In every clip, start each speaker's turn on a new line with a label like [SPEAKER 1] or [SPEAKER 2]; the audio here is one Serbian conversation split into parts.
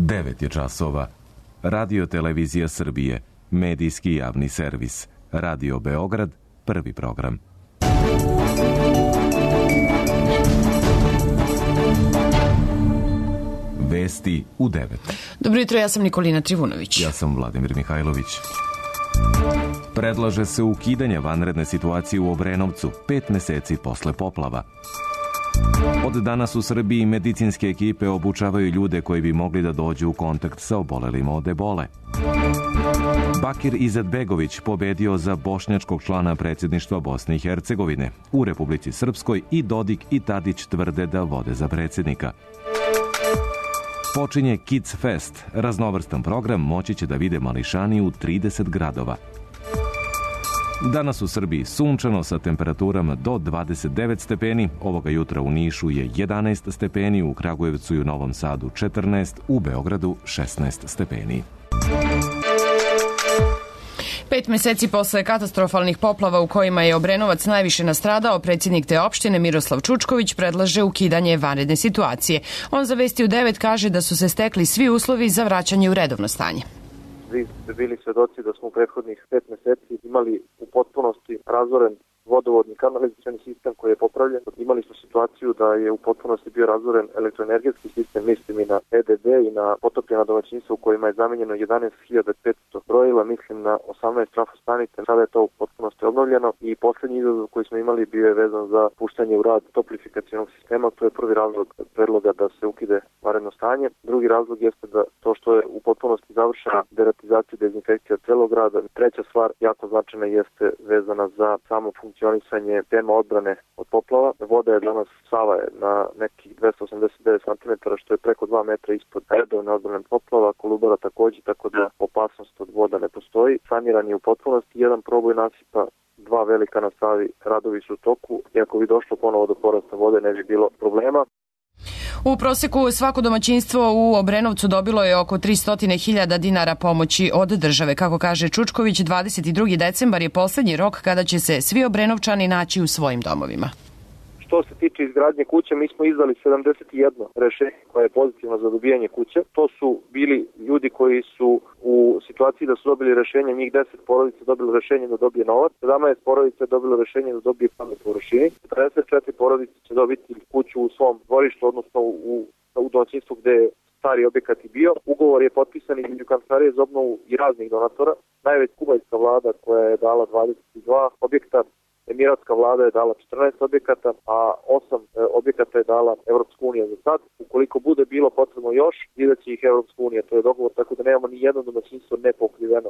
[SPEAKER 1] 9 je časova. Radio Televizija Srbije, medijski javni servis. Radio Beograd, prvi program. Vesti u 9.
[SPEAKER 2] Dobro jutro, ja sam Nikolina Trivunović.
[SPEAKER 1] Ja sam Vladimir Mihajlović. Predlaže se ukidanje vanredne situacije u Obrenovcu 5 meseci posle poplava. Od danas u Srbiji medicinske ekipe obučavaju ljude koji bi mogli da dođu u kontakt sa obolelima od ebole. Bakir Izetbegović pobedio za bošnjačkog člana predsjedništva Bosne i Hercegovine. U Republici Srpskoj i Dodik i Tadić tvrde da vode za predsjednika. Počinje Kids Fest. Raznovrstan program moći će da vide mališani u 30 gradova. Danas u Srbiji sunčano sa temperaturama do 29 stepeni. Ovoga jutra u Nišu je 11 stepeni, u Kragujevcu i u Novom Sadu 14, u Beogradu 16 stepeni.
[SPEAKER 2] 5 meseci posle katastrofalnih poplava u kojima je Obrenovac najviše nastradao, predsjednik te opštine Miroslav Čučković predlaže ukidanje vanredne situacije. On za Vesti u 9 kaže da su se stekli svi uslovi za vraćanje u redovno stanje.
[SPEAKER 3] Vi ste bili svedoci da smo u prethodnih 5 meseci imali u potpunosti razoren vodovodni kanalizacioni sistem koji je popravljen. Imali smo situaciju da je u potpunosti bio razoren elektroenergetski sistem, mislim i na EDD i na potopljena domaćinstva u kojima je zamenjeno 11.500 brojila, mislim na 18 trafostanica. Sada je to u potpunosti obnovljeno i posljednji izazov koji smo imali bio je vezan za puštanje u rad toplifikacionog sistema. To je prvi razlog predloga da se ukide vanredno stanje. Drugi razlog jeste da to što je u potpunosti završena deratizacija i dezinfekcija celog grada. Treća stvar jako značajna jeste vezana za samo funkcionisanje tema odbrane od poplava. Voda je danas, Sava je na nekih 289 cm, što je preko 2 metra ispod redovne odbrane od poplava, Kolubara također, tako da opasnost od voda ne postoji. Saniran je u potpunosti jedan proboj nasipa, 2 velika na Savi, radovi su u toku i ako bi došlo ponovo do porasta vode ne bi bilo problema.
[SPEAKER 2] U proseku svako domaćinstvo u Obrenovcu dobilo je oko 300.000 dinara pomoći od države. Kako kaže Čučković, 22. decembar je posljednji rok kada će se svi Obrenovčani naći u svojim domovima.
[SPEAKER 3] Što se tiče izgradnje kuće, mi smo izdali 71 rešenje koje je pozitivno za dobijanje kuće. To su bili ljudi koji su u situaciji da su dobili rešenje, njih 10 porodica dobilo rešenje da dobije novac, 17 porodica je dobilo rešenje da dobije pamet u površini, 44 porodice će dobiti kuću u svom dvorištu, odnosno u domaćinstvu gde je stari objekat i bio. Ugovor je potpisan između Kancelarije za obnovu i raznih donatora. Najveć kubanska vlada koja je dala 22 objekta, Emiratska vlada je dala 14 objekata, a 8 objekata je dala Evropska unija za sad. Ukoliko bude bilo potrebno još, izaći ih Evropska unija, to je dogovor, tako da nemamo ni jedno domaćinstvo nepokriveno.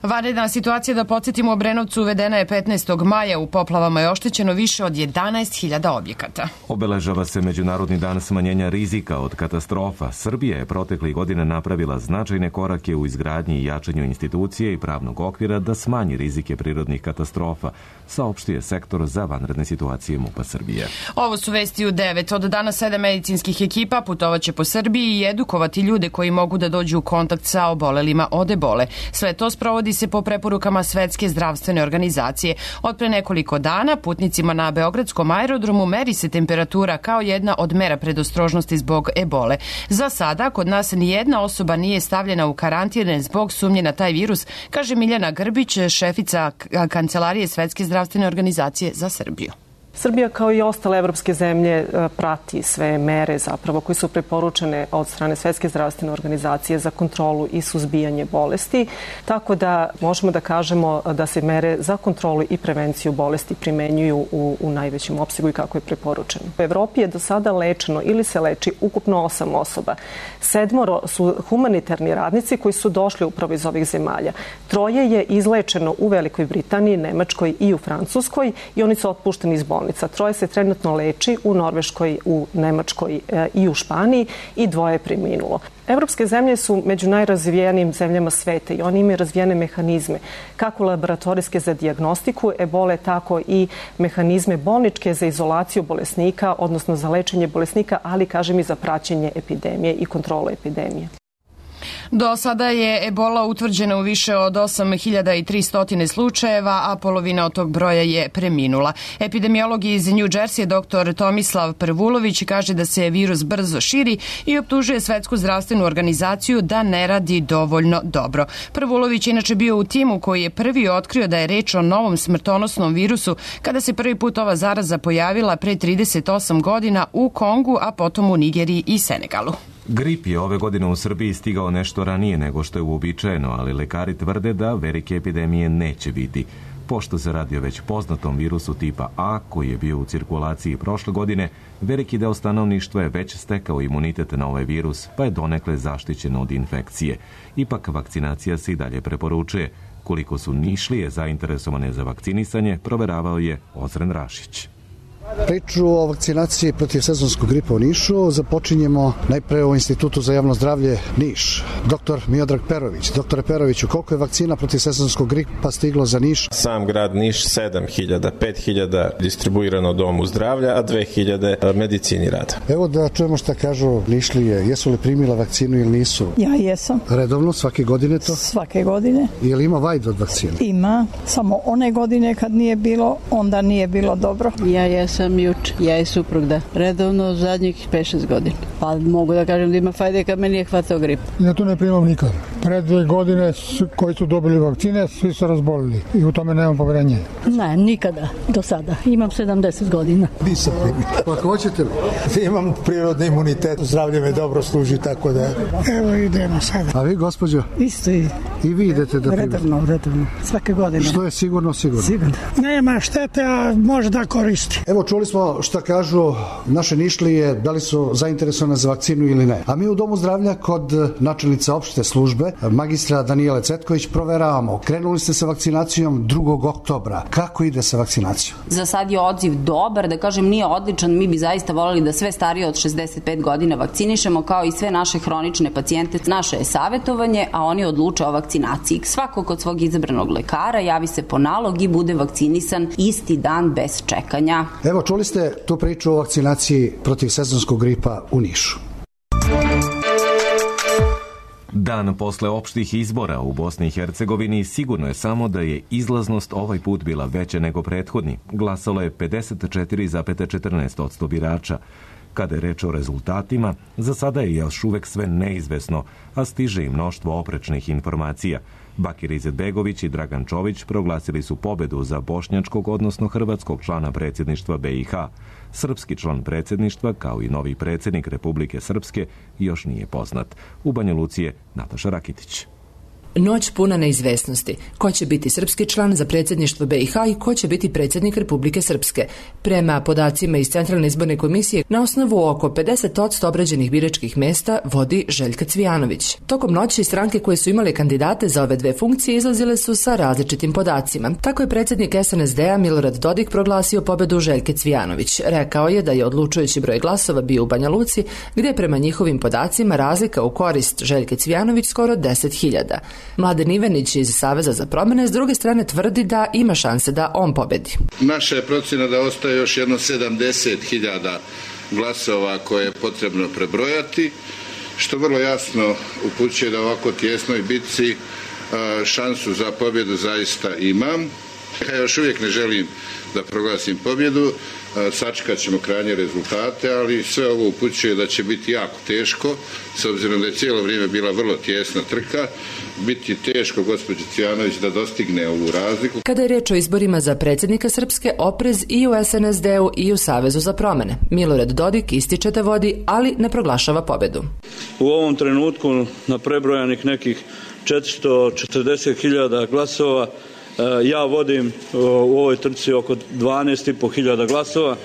[SPEAKER 2] Vanredna situacija, da podsjetimo, u Obrenovcu uvedena je 15. maja. U poplavama je oštećeno više od 11.000 objekata.
[SPEAKER 1] Obeležava se Međunarodni dan smanjenja rizika od katastrofa. Srbija je proteklih godina napravila značajne korake u izgradnji i jačanju institucije i pravnog okvira da smanji rizike prirodnih katastrofa, saopštio sektor za vanredne situacije MUP-a Srbije.
[SPEAKER 2] Ovo su Vesti u 9. Od danas 7 medicinskih ekipa putovaće po Srbiji i edukovati ljude koji mogu da dođu u kontakt sa obolelima od ebole. Sve to sprovodi se po preporukama Svetske zdravstvene organizacije. Od pre nekoliko dana putnicima na beogradskom aerodromu meri se temperatura kao jedna od mera predostrožnosti zbog ebole. Za sada kod nas nijedna osoba nije stavljena u karantin zbog sumnje na taj virus, kaže Miljana Grbić, šefica Kancelarije Svetske zdravstvene organizacije za Srbiju.
[SPEAKER 4] Srbija kao i ostale evropske zemlje prati sve mere zapravo koje su preporučene od strane Svetske zdravstvene organizacije za kontrolu i suzbijanje bolesti, tako da možemo da kažemo da se mere za kontrolu i prevenciju bolesti primenjuju u najvećem opsegu i kako je preporučeno. U Evropi je do sada lečeno ili se leči ukupno 8 osoba. 7 su humanitarni radnici koji su došli upravo iz ovih zemalja. 3 je izlečeno u Velikoj Britaniji, Nemačkoj i u Francuskoj i oni su otpušteni iz bolnice. 3 se trenutno leči u Norveškoj, u Nemačkoj i u Španiji i 2 je preminulo. Evropske zemlje su među najrazvijenijim zemljama sveta i oni imaju razvijene mehanizme, kako laboratorijske za dijagnostiku ebole, tako i mehanizme bolničke za izolaciju bolesnika, odnosno za lečenje bolesnika, ali kažem i za praćenje epidemije i kontrolu epidemije.
[SPEAKER 2] Do sada je ebola utvrđena u više od 8300 slučajeva, a polovina od tog broja je preminula. Epidemiolog iz New Jersey, dr. Tomislav Prvulović, kaže da se virus brzo širi i optužuje Svetsku zdravstvenu organizaciju da ne radi dovoljno dobro. Prvulović je inače bio u timu koji je prvi otkrio da je reč o novom smrtonosnom virusu kada se prvi put ova zaraza pojavila pre 38 godina u Kongu, a potom u Nigeriji i Senegalu.
[SPEAKER 1] Grip je ove godine u Srbiji stigao nešto ranije nego što je uobičajeno, ali lekari tvrde da velike epidemije neće biti. Pošto se radi o već poznatom virusu tipa A, koji je bio u cirkulaciji prošle godine, veliki deo stanovništva je već stekao imunitet na ovaj virus, pa je donekle zaštićen od infekcije. Ipak vakcinacija se i dalje preporučuje. Koliko su Nišlije zainteresovane za vakcinisanje, proveravao je Ozren Rašić.
[SPEAKER 5] Priču o vakcinaciji protiv sezonskog gripa u Nišu započinjemo najpre u Institutu za javno zdravlje Niš. Dr. Miodrag Perović. Doktore Peroviću, koliko je vakcina protiv sezonskog gripa stiglo za Niš?
[SPEAKER 6] Sam grad Niš 7.000, 5.000 distribuirano domu zdravlja, a 2.000 medicini rada.
[SPEAKER 5] Evo da čujemo šta kažu Nišlije. Jesu li primila vakcinu ili nisu?
[SPEAKER 7] Ja jesam.
[SPEAKER 5] Redovno, svake godine to?
[SPEAKER 7] Svake godine.
[SPEAKER 5] Je li ima vajda od vakcine?
[SPEAKER 7] Ima, samo one godine kad nije bilo, onda nije bilo dobro.
[SPEAKER 8] Ja jesam juče, ja i suprug, da. Redovno zadnjih 5-6 godina. Pa mogu da kažem da ima fajde kad me nije hvatao grip.
[SPEAKER 9] Ja to ne primam nikad. Pre 2 godine koji su dobili vakcine, svi su razbolili i u tome nemam poverenja.
[SPEAKER 10] Ne, nikada do sada. Imam 70 godina.
[SPEAKER 9] Nisam primio.
[SPEAKER 5] Pa hoćete li?
[SPEAKER 9] Imam prirodni imunitet, zdravlje me dobro služi, tako da... Evo idemo sada.
[SPEAKER 5] A vi, gospođo?
[SPEAKER 10] Isto i...
[SPEAKER 5] I vi idete da primite?
[SPEAKER 10] Redovno. Svake godine.
[SPEAKER 5] Što je sigurno?
[SPEAKER 10] Sigurno.
[SPEAKER 9] Nema štete, a može da koristi.
[SPEAKER 5] Evo, čuli smo šta kažu naše Nišlije, da li su zainteresovane za vakcinu ili ne. A mi u Domu zdravlja kod načelnice opšte službe, magistra Danijele Cetković, proveravamo. Krenuli ste sa vakcinacijom 2. oktobra. Kako ide sa vakcinacijom?
[SPEAKER 11] Za sad je odziv dobar, da kažem nije odličan. Mi bi zaista voleli da sve starije od 65 godina vakcinišemo, kao i sve naše hronične pacijente. Naše je savjetovanje, a oni odluče o vakcinaciji. Svako kod svog izabranog lekara javi se po nalog i bude vakcinisan isti dan bez čekanja.
[SPEAKER 5] Evo, čuli ste tu priču o vakcinaciji protiv sezonskog gripa u Nišu.
[SPEAKER 1] Dan posle opštih izbora u Bosni i Hercegovini sigurno je samo da je izlaznost ovaj put bila veća nego prethodni. Glasalo je 54,14% birača. Kada je reč o rezultatima, za sada je još uvek sve neizvesno, a stiže i mnoštvo oprečnih informacija. Bakir Izetbegović i Dragan Čović proglasili su pobedu za bošnjačkog, odnosno hrvatskog člana predsjedništva BiH. Srpski član predsjedništva, kao i novi predsjednik Republike Srpske, još nije poznat. U Banja Luci je Nataša Rakitić.
[SPEAKER 12] Noć puna neizvesnosti. Ko će biti srpski član za predsjedništvo BiH i ko će biti predsjednik Republike Srpske? Prema podacima iz Centralne izborne komisije, na osnovu oko 50% obrađenih biračkih mesta vodi Željka Cvijanović. Tokom noći stranke koje su imale kandidate za ove dve funkcije izlazile su sa različitim podacima. Tako je predsjednik SNSD-a Milorad Dodik proglasio pobedu Željke Cvijanović. Rekao je da je odlučujući broj glasova bio u Banja Luci, gdje je prema njihovim podacima razlika u korist Željke Cvijanović skoro 10.000. Mladen Ivanić iz Saveza za promjene s druge strane tvrdi da ima šanse da on pobedi.
[SPEAKER 13] Naša je procjena da ostaje još jedno 70.000 glasova koje je potrebno prebrojati, što vrlo jasno upućuje da ovako tjesnoj bitci šansu za pobjedu zaista imam. Ja još uvijek ne želim da proglasim pobjedu, sačekat ćemo krajnje rezultate, ali sve ovo upućuje da će biti jako teško, s obzirom da je cijelo vrijeme bila vrlo tjesna trka, biti teško gospođi Cvijanović da dostigne ovu razliku.
[SPEAKER 12] Kada je riječ o izborima za predsjednika Srpske, oprez i u SNSD-u i u Savezu za promjene. Milorad Dodik ističe da vodi, ali ne proglašava pobedu.
[SPEAKER 14] U ovom trenutku na prebrojanih nekih 440.000 glasova ja vodim u ovoj trci oko 12.500 glasova,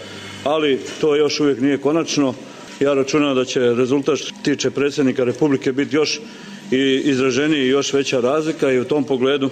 [SPEAKER 14] ali to još uvijek nije konačno. Ja računam da će rezultat što tiče predsjednika Republike biti još i izraženiji i još veća razlika i u tom pogledu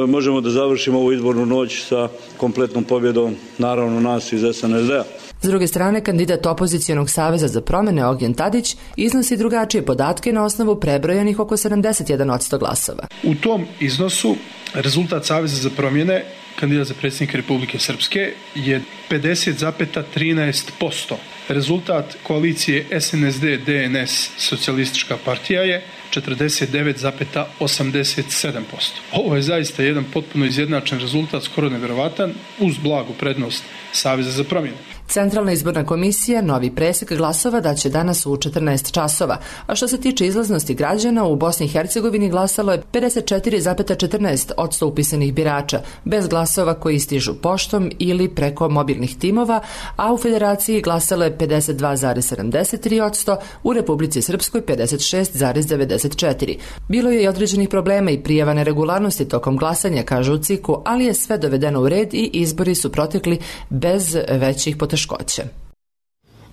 [SPEAKER 14] možemo da završimo ovu izbornu noć sa kompletnom pobjedom, naravno nas iz SNSD-a.
[SPEAKER 12] S druge strane, kandidat opozicijonog Saveza za promjene Ognjen Tadić iznosi drugačije podatke na osnovu prebrojanih oko 71% glasova.
[SPEAKER 15] U tom iznosu rezultat Saveza za promjene, kandidat za predsjednika Republike Srpske, je 50,13%. Rezultat koalicije SNSD-DNS Socijalistička partija je 49,87%. Ovo je zaista jedan potpuno izjednačen rezultat, skoro neverovatan, uz blagu prednost Saveza za promjenu.
[SPEAKER 12] Centralna izborna komisija novi presek glasova daće danas u 14 časova, a što se tiče izlaznosti građana, u Bosni i Hercegovini glasalo je 54,14% upisanih birača, bez glasova koji stižu poštom ili preko mobilnih timova, a u Federaciji glasalo je 52,73%, u Republici Srpskoj 56,94%. Bilo je i određenih problema i prijava neregularnosti tokom glasanja, kaže u CIK-u, ali je sve dovedeno u red i izbori su protekli bez većih poteškoća.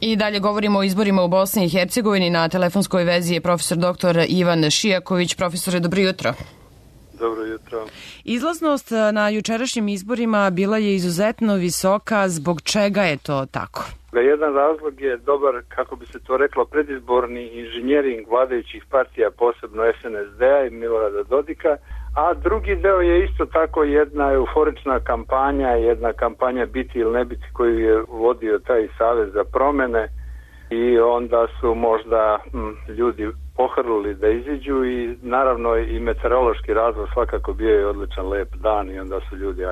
[SPEAKER 2] I dalje govorimo o izborima u Bosni i Hercegovini. Na telefonskoj vezi je profesor dr. Ivan Šijaković. Profesore, dobro jutro.
[SPEAKER 16] Dobro jutro.
[SPEAKER 2] Izlaznost na jučerašnjim izborima bila je izuzetno visoka. Zbog čega je to tako?
[SPEAKER 16] Jedan razlog je dobar, kako bi se to reklo, predizborni inženjering vladajućih partija, posebno SNSD-a i Milorada Dodika, a drugi deo je isto tako jedna euforična kampanja, jedna kampanja biti ili ne biti koju je vodio taj Savez za promjene i onda su možda ljudi pohrlili da iziđu i naravno i meteorološki razlog, svakako bio je odličan lep dan i onda su ljudi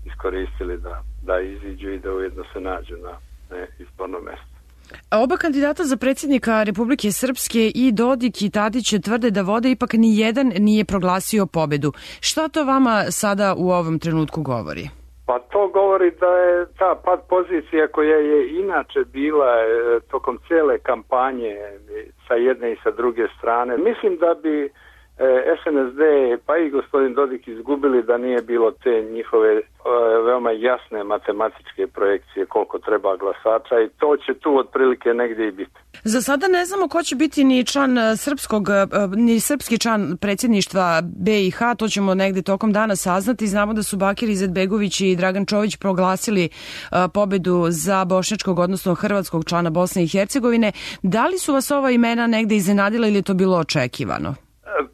[SPEAKER 16] iskoristili da iziđu i da ujedno se nađu na izborno mesto.
[SPEAKER 2] Oba kandidata za predsjednika Republike Srpske, i Dodik i Tadić, tvrde da vode, ipak ni jedan nije proglasio pobedu. Šta to vama sada u ovom trenutku govori?
[SPEAKER 16] Pa to govori da je ta pad pozicija koja je inače bila tokom cijele kampanje sa jedne i sa druge strane. Mislim da bi SNSD pa i gospodin Dodik izgubili da nije bilo te njihove veoma jasne matematičke projekcije koliko treba glasača i to će tu otprilike negdje i biti.
[SPEAKER 2] Za sada ne znamo ko će biti ni srpski član predsjedništva BiH, to ćemo negdje tokom dana saznati. Znamo da su Bakir Izetbegović i Dragan Čović proglasili pobedu za bošnjačkog, odnosno hrvatskog člana Bosne i Hercegovine. Da li su vas ova imena negdje iznenadila ili je to bilo očekivano?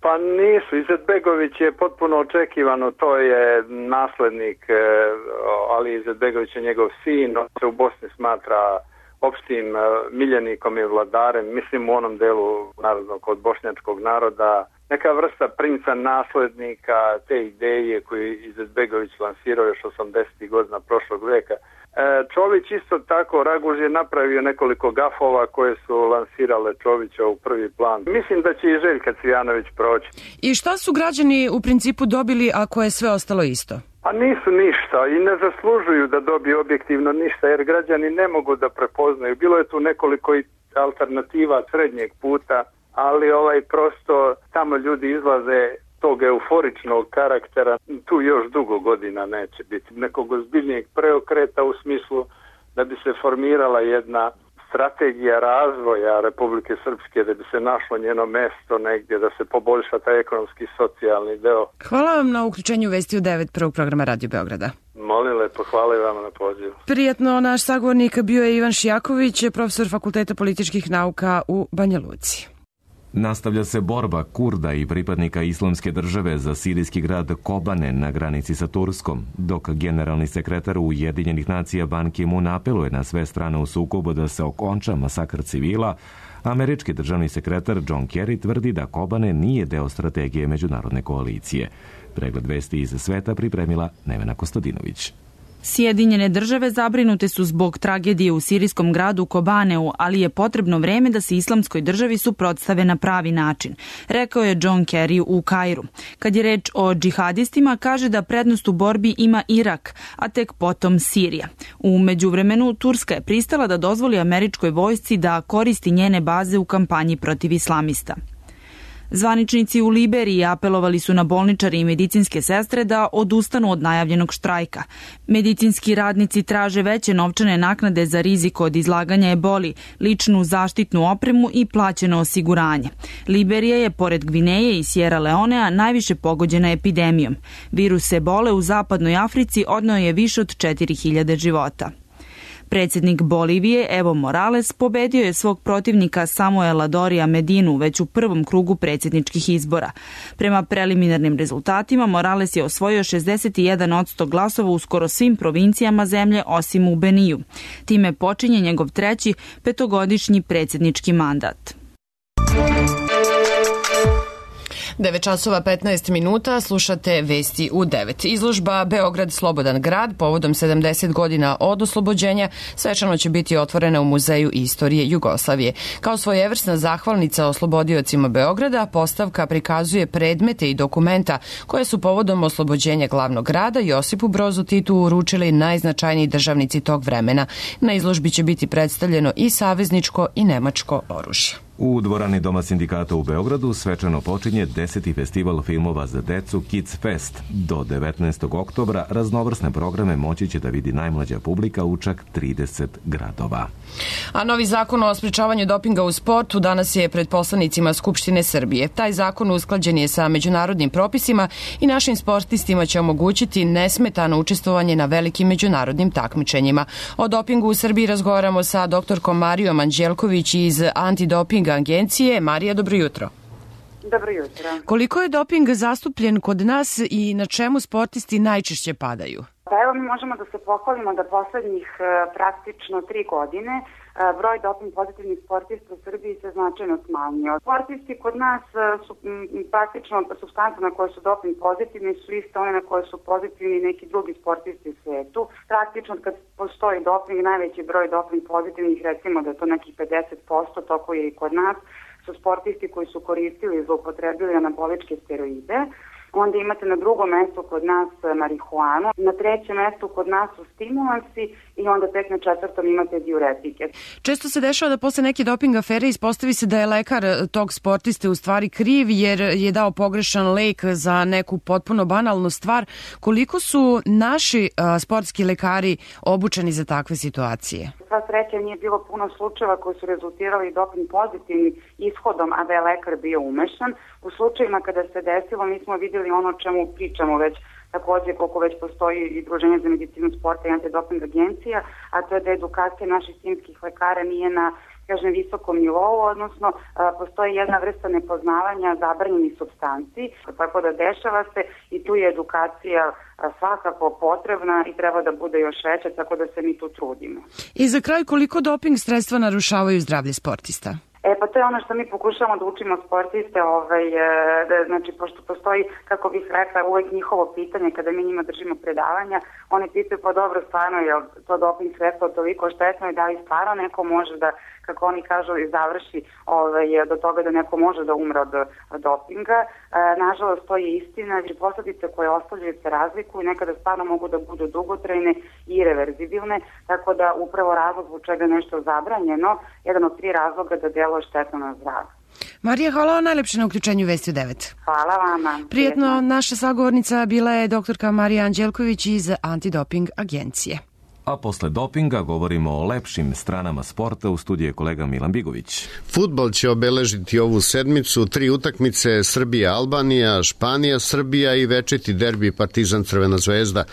[SPEAKER 16] Pa nisu. Izetbegović je potpuno očekivano, to je naslednik, ali Izetbegović je njegov sin, on se u Bosni smatra opštim miljenikom i vladarem, mislim u onom delu narodnog kod bošnjačkog naroda, neka vrsta princa naslednika te ideje koju Izetbegović lansirao još 80. godina prošlog veka. Čović isto tako, Raguž je napravio nekoliko gafova koje su lansirale Čovića u prvi plan. Mislim da će i Željka Cvijanović proći.
[SPEAKER 2] I šta su građani u principu dobili ako je sve ostalo isto?
[SPEAKER 16] A nisu ništa i ne zaslužuju da dobiju objektivno ništa jer građani ne mogu da prepoznaju. Bilo je tu nekoliko alternativa srednjeg puta, ali prosto tamo ljudi izlaze tog euforičnog karaktera, tu još dugo godina neće biti nekog ozbiljnijeg preokreta u smislu da bi se formirala jedna strategija razvoja Republike Srpske, da bi se našlo njeno mesto negdje, da se poboljša taj ekonomski socijalni deo.
[SPEAKER 2] Hvala vam na uključenju Vesti u 9 prvog programa Radio Beograda.
[SPEAKER 16] Molim lepo, hvala i vama na pozivu.
[SPEAKER 2] Prijetno, naš sagovornik bio je Ivan Šijaković, profesor Fakulteta političkih nauka u Banja Luci.
[SPEAKER 1] Nastavlja se borba Kurda i pripadnika Islamske države za sirijski grad Kobane na granici sa Turskom, dok generalni sekretar Ujedinjenih nacija Ban Ki-moon apeluje na sve strane u sukobu da se okonča masakr civila. Američki državni sekretar John Kerry tvrdi da Kobane nije deo strategije međunarodne koalicije. Pregled vesti iz sveta pripremila Nevena Kostadinović.
[SPEAKER 17] Sjedinjene države zabrinute su zbog tragedije u sirijskom gradu Kobaneu, ali je potrebno vreme da se islamskoj državi suprotstave na pravi način, rekao je John Kerry u Kairu. Kad je reč o džihadistima, kaže da prednost u borbi ima Irak, a tek potom Sirija. U međuvremenu, Turska je pristala da dozvoli američkoj vojsci da koristi njene baze u kampanji protiv islamista. Zvaničnici u Liberiji apelovali su na bolničare i medicinske sestre da odustanu od najavljenog štrajka. Medicinski radnici traže veće novčane naknade za rizik od izlaganja eboli, ličnu zaštitnu opremu i plaćeno osiguranje. Liberija je, pored Gvineje i Sierra Leonea, najviše pogođena epidemijom. Virus ebole u zapadnoj Africi odneo je više od 4000 života. Predsjednik Bolivije Evo Morales pobedio je svog protivnika Samuela Doria Medinu već u prvom krugu predsjedničkih izbora. Prema preliminarnim rezultatima Morales je osvojio 61% glasova u skoro svim provincijama zemlje osim u Beniju. Time počinje njegov treći petogodišnji predsjednički mandat.
[SPEAKER 2] 9 časova 15 minuta, slušate Vesti u 9. Izložba Beograd Slobodan grad povodom 70 godina od oslobođenja svečano će biti otvorena u Muzeju istorije Jugoslavije. Kao svojevrsna zahvalnica oslobodiocima Beograda, postavka prikazuje predmete i dokumenta koje su povodom oslobođenja glavnog grada Josipu Brozu Titu uručili najznačajniji državnici tog vremena. Na izložbi će biti predstavljeno i savezničko i nemačko oružje.
[SPEAKER 1] U dvorani Doma sindikata u Beogradu svečano počinje 10. festival filmova za decu Kids Fest. Do 19. oktobra raznovrsne programe moći će da vidi najmlađa publika u čak 30 gradova.
[SPEAKER 2] A novi zakon o sprečavanju dopinga u sportu danas je pred poslanicima Skupštine Srbije. Taj zakon usklađen je sa međunarodnim propisima i našim sportistima će omogućiti nesmetano učestvovanje na velikim međunarodnim takmičenjima. O dopingu u Srbiji razgovaramo sa doktorkom Marijom Anđelković iz Antidoping agencije. Marija, dobro jutro.
[SPEAKER 18] Dobro jutro.
[SPEAKER 2] Koliko je doping zastupljen kod nas i na čemu sportisti najčešće padaju?
[SPEAKER 18] Pa evo, mi možemo da se pohvalimo da poslednjih praktično 3 godine broj doping pozitivnih sportista u Srbiji se značajno smanjio. Sportisti kod nas su praktično supstance na koje su doping pozitivni su iste one na koje su pozitivni neki drugi sportisti u svetu. Praktično kad postoji doping, najveći broj doping pozitivnih, recimo da je to nekih 50%, toko je i kod nas, su sportisti koji su koristili i zloupotrebili anaboličke steroide. Onda imate na drugom mestu kod nas marihuanu, na trećem mestu kod nas su stimulansi i onda tek na četvrtom imate diuretike.
[SPEAKER 2] Često se dešava da posle neke doping afere ispostavi se da je lekar tog sportiste u stvari kriv jer je dao pogrešan lek za neku potpuno banalnu stvar. Koliko su naši sportski lekari obučeni za takve situacije?
[SPEAKER 18] Sva sreća nije bilo puno slučajeva koji su rezultirali doping pozitivnim ishodom, a da je lekar bio umešan. U slučajima kada se desilo, mi smo vidjeli ono o čemu pričamo već također koliko već postoji i Druženje za medicinu sporta i Antidoping agencija, a to je da edukacija naših timskih lekara nije na visokom nivou, odnosno postoji jedna vrsta nepoznavanja zabranjenih supstanci, tako da dešava se i tu je edukacija svakako potrebna i treba da bude još veća, tako da se mi tu trudimo.
[SPEAKER 2] I za kraj, koliko doping sredstva narušavaju zdravlje sportista?
[SPEAKER 18] Pa to je ono što mi pokušavamo da učimo sportiste, znači pošto postoji, kako bih rekla, uvek njihovo pitanje kada mi njima držimo predavanja, oni pitaju pa dobro, stvarno je to doping sredstvo toliko štetno i da li stvarno neko može da, kako oni kažu, završi do toga da neko može da umre od dopinga. Nažalost, to je istina, jer posledice koje ostavljaju se razlikuju, nekada stvarno mogu da budu dugotrajne i irreverzibilne, tako da upravo razlog zbog čega je nešto zabranjeno, jedan od 3 razloga da delo je štetno na zdravlje.
[SPEAKER 2] Marija, hvala vam najlepše na uključenju Vesti u 9.
[SPEAKER 18] Hvala vama.
[SPEAKER 2] Prijetno, naša sagovornica bila je doktorka Marija Anđelković iz Antidoping agencije.
[SPEAKER 1] A posle dopinga govorimo o lepšim stranama sporta. U studiju je kolega Milan Bigović.
[SPEAKER 19] Fudbal će obeležiti ovu sedmicu 3 utakmice: Srbija-Albanija, Španija-Srbija i večiti derbi Partizan-Crvena zvezda.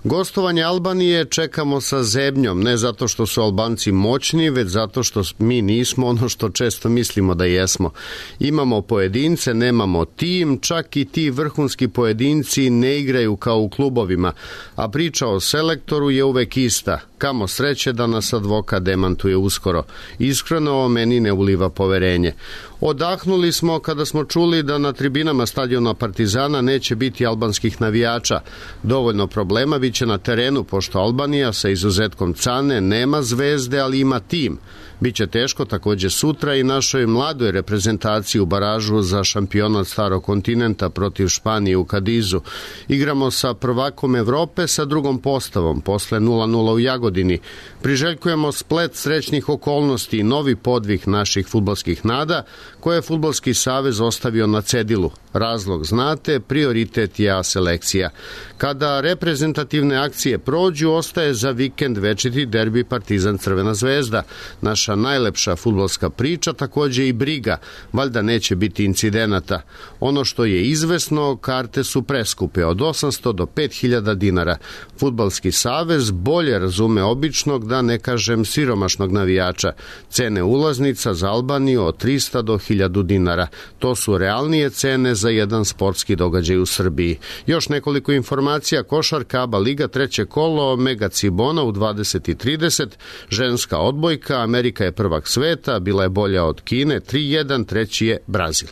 [SPEAKER 19] Gostovanje Albanije čekamo sa zebnjom, ne zato što su Albanci moćni, već zato što mi nismo ono što često mislimo da jesmo. Imamo pojedince, nemamo tim, čak i ti vrhunski pojedinci ne igraju kao u klubovima, a priča o selektoru je uvek ista. Kamo sreće da nas advokat demantuje uskoro. Iskreno, ovo meni ne uliva poverenje. Odahnuli smo kada smo čuli da na tribinama stadiona Partizana neće biti albanskih navijača. Dovoljno problema biće na terenu, pošto Albanija sa izuzetkom Cane nema zvezde, ali ima tim. Biće teško također sutra i našoj mladoj reprezentaciji u baražu za šampionat Starog kontinenta protiv Španije u Kadizu. Igramo sa prvakom Evrope sa drugom postavom, posle 0-0 u Jagodini. Priželjkujemo splet srećnih okolnosti i novi podvih naših fudbalskih nada, koje je Fudbalski savez ostavio na cedilu. Razlog znate, prioritet je selekcija. Kada reprezentativne akcije prođu, ostaje za vikend večiti derbi Partizan-Crvena zvezda. Naša najlepša fudbalska priča, također i briga, valjda neće biti incidenata. Ono što je izvesno, karte su preskupe, od 800 do 5000 dinara. Fudbalski savez bolje razume običnog, da ne kažem siromašnog navijača. Cene ulaznica za Albaniju od 300 do 1000 dinara. To su realnije cene za jedan sportski događaj u Srbiji. Još nekoliko informacija: košarka, ABA liga, 3. kolo, Mega Cibona u 20:30, ženska odbojka, Amerika je prvak sveta, bila je bolja od Kine 3:1, treći je Brazil.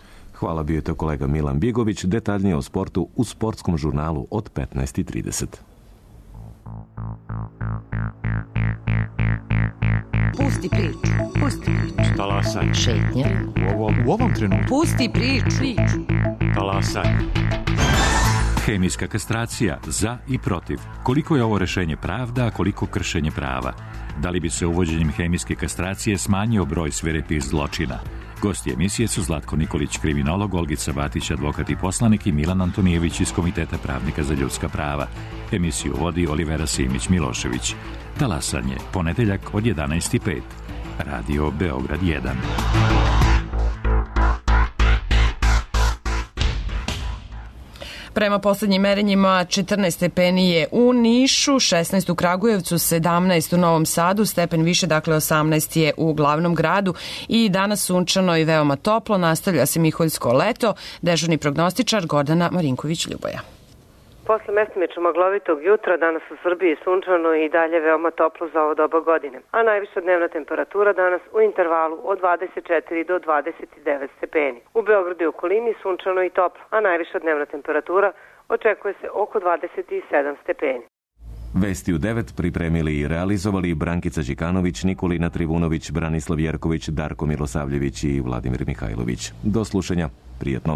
[SPEAKER 1] Hvala, bio je to kolega Milan Bigović. Detaljnije o sportu u sportskom žurnalu od 15:30.
[SPEAKER 20] Pusti priču.
[SPEAKER 21] Talasaj.
[SPEAKER 20] Šetnja.
[SPEAKER 21] U ovom trenutku.
[SPEAKER 20] Pusti priču.
[SPEAKER 21] Talasaj. Hemijska kastracija, za i protiv. Koliko je ovo rešenje pravda, a koliko kršenje prava? Da li bi se uvođenjem hemijske kastracije smanjio broj svirepih zločina? Gosti emisije su Zlatko Nikolić, kriminolog, Olgica Batić, advokat i poslanik, i Milan Antonijević iz Komiteta pravnika za ljudska prava. Emisiju vodi Olivera Simić-Milošević. Talasanje, ponedeljak od 11:05. Radio Beograd 1.
[SPEAKER 2] Prema poslednjim merenjima 14 stepeni je u Nišu, 16 u Kragujevcu, 17 u Novom Sadu, stepen više, dakle 18 je u glavnom gradu i danas sunčano i veoma toplo, nastavlja se miholjsko leto, dežurni prognostičar Gordana Marinković-Ljuboja.
[SPEAKER 22] Posle mestimično maglovitog jutra danas u Srbiji sunčano i dalje veoma toplo za ovo doba godine, a najviša dnevna temperatura danas u intervalu od 24 do 29 stepeni. U Beogradu i okolini sunčano i toplo, a najviša dnevna temperatura očekuje se oko 27 stepeni.
[SPEAKER 1] Vesti u 9 pripremili i realizovali Brankica Đikanović, Nikolina Trivunović, Branislav Jerković, Darko Milosavljević i Vladimir Mihajlović. Do slušanja, prijetno.